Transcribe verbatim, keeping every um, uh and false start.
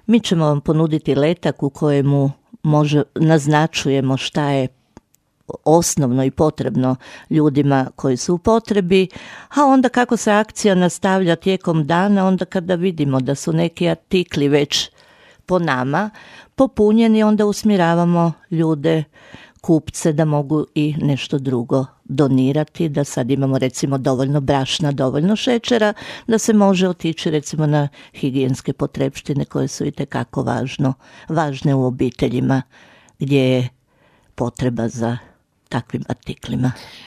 Mi ćemo vam ponuditi letak u kojemu može, naznačujemo šta je osnovno i potrebno ljudima koji su u potrebi, a onda kako se akcija nastavlja tijekom dana, onda kada vidimo da su neki artikli već po nama popunjeni, onda usmjeravamo ljude, kupce, da mogu i nešto drugo donirati, da sad imamo recimo dovoljno brašna, dovoljno šećera, da se može otići recimo na higijenske potrepštine koje su itekako važno, važne u obiteljima gdje je potreba za takvim artiklima.